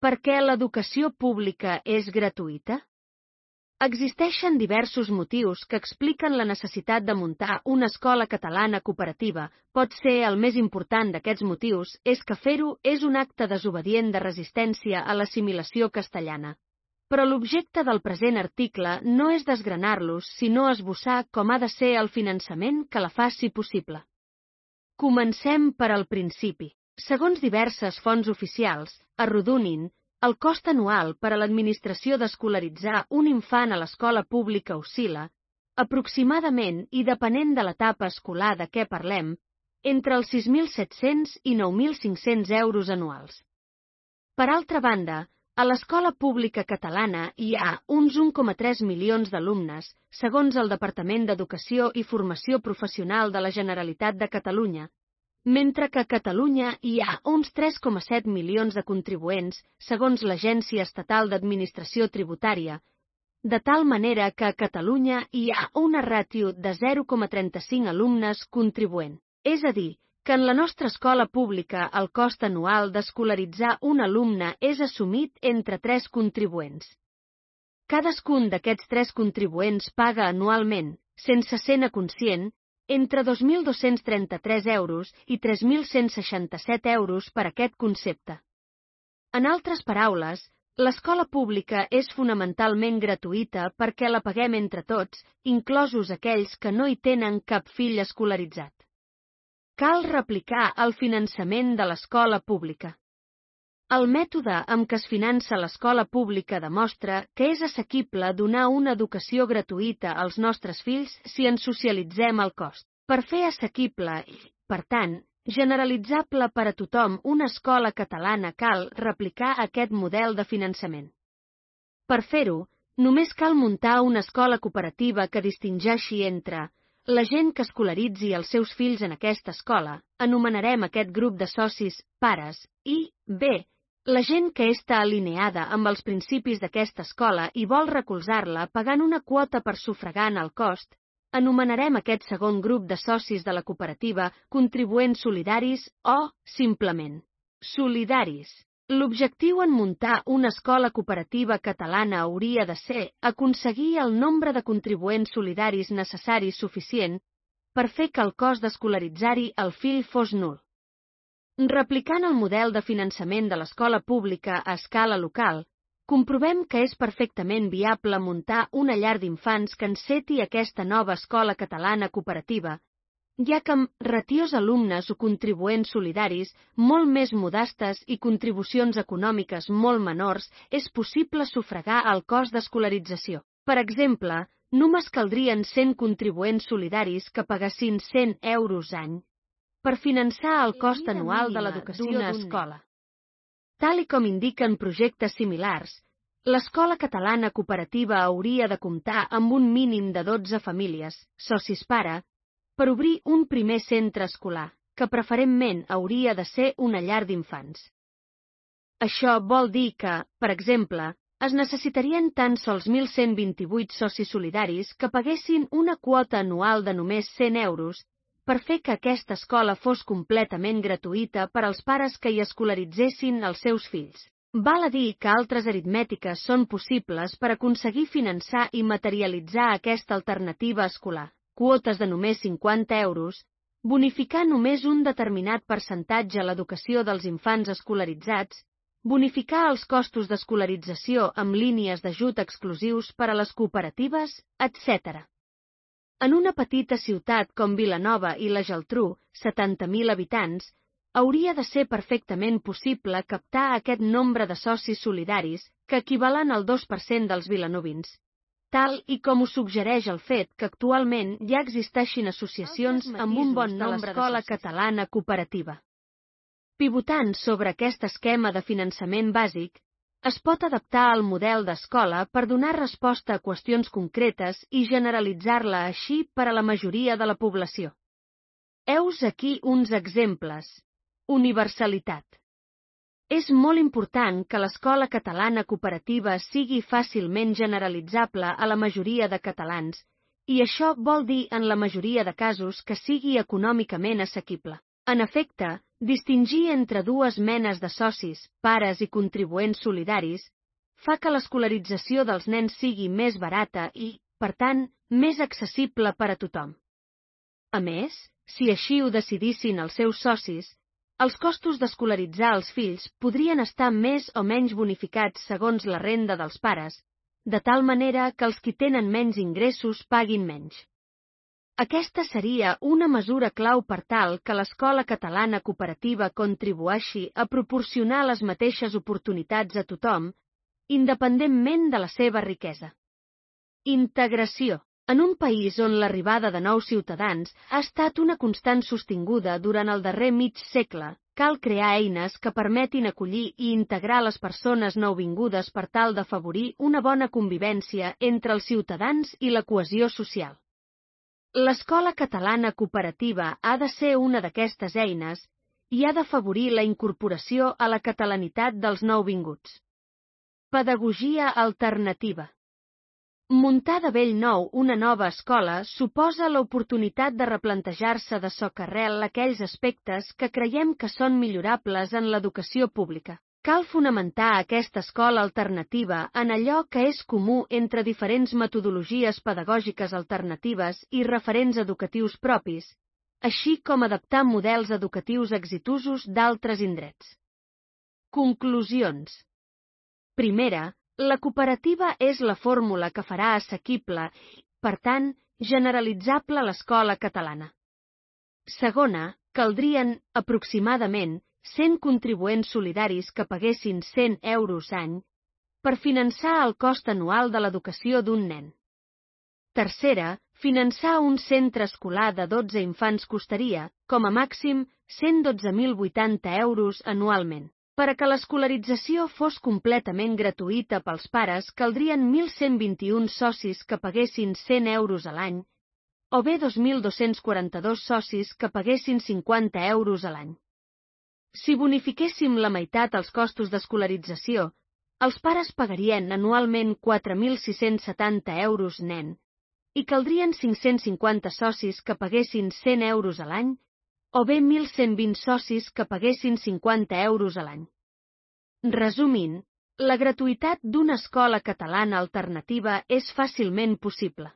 Per què l'educació pública és gratuïta? Existeixen diversos motius que expliquen la necessitat de muntar una escola catalana cooperativa. Pot ser el més important d'aquests motius és que fer-ho és un acte desobedient de resistència a l'assimilació castellana. Però l'objecte del present article no és desgranar-los, sinó esbossar com ha de ser el finançament que la faci possible. Comencem per al principi. Segons diverses fonts oficials, arrodonint, el cost anual per a l'administració d'escolaritzar un infant a l'escola pública oscil·la, aproximadament i depenent de l'etapa escolar de què parlem, entre els 6.700 i 9.500 euros anuals. Per altra banda, a l'escola pública catalana hi ha uns 1,3 milions d'alumnes, segons el Departament d'Educació i Formació Professional de la Generalitat de Catalunya, mentre que a Catalunya hi ha uns 3,7 milions de contribuents, segons l'Agència Estatal d'Administració Tributària, de tal manera que a Catalunya hi ha una ràtio de 0,35 alumnes contribuent. És a dir, que en la nostra escola pública el cost anual d'escolaritzar un alumne és assumit entre 3 contribuents. Cadascun d'aquests 3 contribuents paga anualment, sense ser-ne conscient, entre 2.233 euros i 3.167 euros per aquest concepte. En altres paraules, l'escola pública és fonamentalment gratuïta perquè la paguem entre tots, inclosos aquells que no hi tenen cap fill escolaritzat. Cal replicar el finançament de l'escola pública. El mètode amb què es finança l'escola pública demostra que és assequible donar una educació gratuïta als nostres fills si en socialitzem el cost. Per fer assequible i, per tant, generalitzable per a tothom una escola catalana cal replicar aquest model de finançament. Per fer-ho, només cal muntar una escola cooperativa que distingeixi entre la gent que escolaritzi els seus fills en aquesta escola, anomenarem aquest grup de socis pares, i, b, la gent que està alineada amb els principis d'aquesta escola i vol recolzar-la pagant una quota per sufragar el cost, anomenarem aquest segon grup de socis de la cooperativa contribuents solidaris o, simplement, solidaris. L'objectiu en muntar una escola cooperativa catalana hauria de ser aconseguir el nombre de contribuents solidaris necessaris suficient per fer que el cost d'escolaritzar-hi el fill fos nul. Replicant el model de finançament de l'escola pública a escala local, comprovem que és perfectament viable muntar una llar d'infants que enceti aquesta nova escola catalana cooperativa, ja que amb ratios alumnes o contribuents solidaris molt més modestes i contribucions econòmiques molt menors és possible sufragar el cost d'escolarització. Per exemple, només caldrien 100 contribuents solidaris que pagassin 100 euros any per finançar el cost anual de l'educació d'una escola. Tal i com indiquen projectes similars, l'escola catalana cooperativa hauria de comptar amb un mínim de 12 famílies, socis pare, per obrir un primer centre escolar, que preferentment hauria de ser una llar d'infants. Això vol dir que, per exemple, es necessitarien tan sols 1.128 socis solidaris que paguessin una quota anual de només 100 euros per fer que aquesta escola fos completament gratuïta per als pares que hi escolaritzessin els seus fills. Val a dir que altres aritmètiques són possibles per aconseguir finançar i materialitzar aquesta alternativa escolar. Quotes de només 50 euros, bonificar només un determinat percentatge a l'educació dels infants escolaritzats, bonificar els costos d'escolarització amb línies d'ajut exclusius per a les cooperatives, etc. En una petita ciutat com Vilanova i la Geltrú, 70.000 habitants, hauria de ser perfectament possible captar aquest nombre de socis solidaris que equivalen al 2% dels vilanovins, tal i com ho suggereix el fet que actualment ja existeixin associacions amb un bon nombre d'escola catalana cooperativa. Pivotant sobre aquest esquema de finançament bàsic, es pot adaptar el model d'escola per donar resposta a qüestions concretes i generalitzar-la així per a la majoria de la població. Heus aquí uns exemples. Universalitat. És molt important que l'escola catalana cooperativa sigui fàcilment generalitzable a la majoria de catalans, i això vol dir en la majoria de casos que sigui econòmicament assequible. En efecte, distingir entre dues menes de socis, pares i contribuents solidaris, fa que l'escolarització dels nens sigui més barata i, per tant, més accessible per a tothom. A més, si així ho decidissin els seus socis, els costos d'escolaritzar els fills podrien estar més o menys bonificats segons la renda dels pares, de tal manera que els qui tenen menys ingressos paguin menys. Aquesta seria una mesura clau per tal que l'escola catalana cooperativa contribueixi a proporcionar les mateixes oportunitats a tothom, independentment de la seva riquesa. Integració. En un país on l'arribada de nous ciutadans ha estat una constant sostinguda durant el darrer mig segle, cal crear eines que permetin acollir i integrar les persones nouvingudes per tal d'afavorir una bona convivència entre els ciutadans i la cohesió social. L'escola catalana cooperativa ha de ser una d'aquestes eines i ha d'afavorir la incorporació a la catalanitat dels nouvinguts. Pedagogia alternativa. Muntar de bell nou una nova escola suposa l'oportunitat de replantejar-se de socarrel aquells aspectes que creiem que són millorables en l'educació pública. Cal fonamentar aquesta escola alternativa en allò que és comú entre diferents metodologies pedagògiques alternatives i referents educatius propis, així com adaptar models educatius exitosos d'altres indrets. Conclusions. Primera, la cooperativa és la fórmula que farà assequible i, per tant, generalitzable l'escola catalana. Segona, caldrien, aproximadament, 100 contribuents solidaris que paguessin 100 euros any per finançar el cost anual de l'educació d'un nen. Tercera, finançar un centre escolar de 12 infants costaria, com a màxim, 112.080 euros anualment. Per a que l'escolarització fos completament gratuïta pels pares, caldrien 1.121 socis que paguessin 100 euros a l'any, o bé 2.242 socis que paguessin 50 euros a l'any. Si bonifiquéssim la meitat els costos d'escolarització, els pares pagarien anualment 4.670 euros nen, i caldrien 550 socis que paguessin 100 euros a l'any, o bé 1.120 socis que paguessin 50 euros a l'any. Resumint, la gratuïtat d'una escola catalana alternativa és fàcilment possible.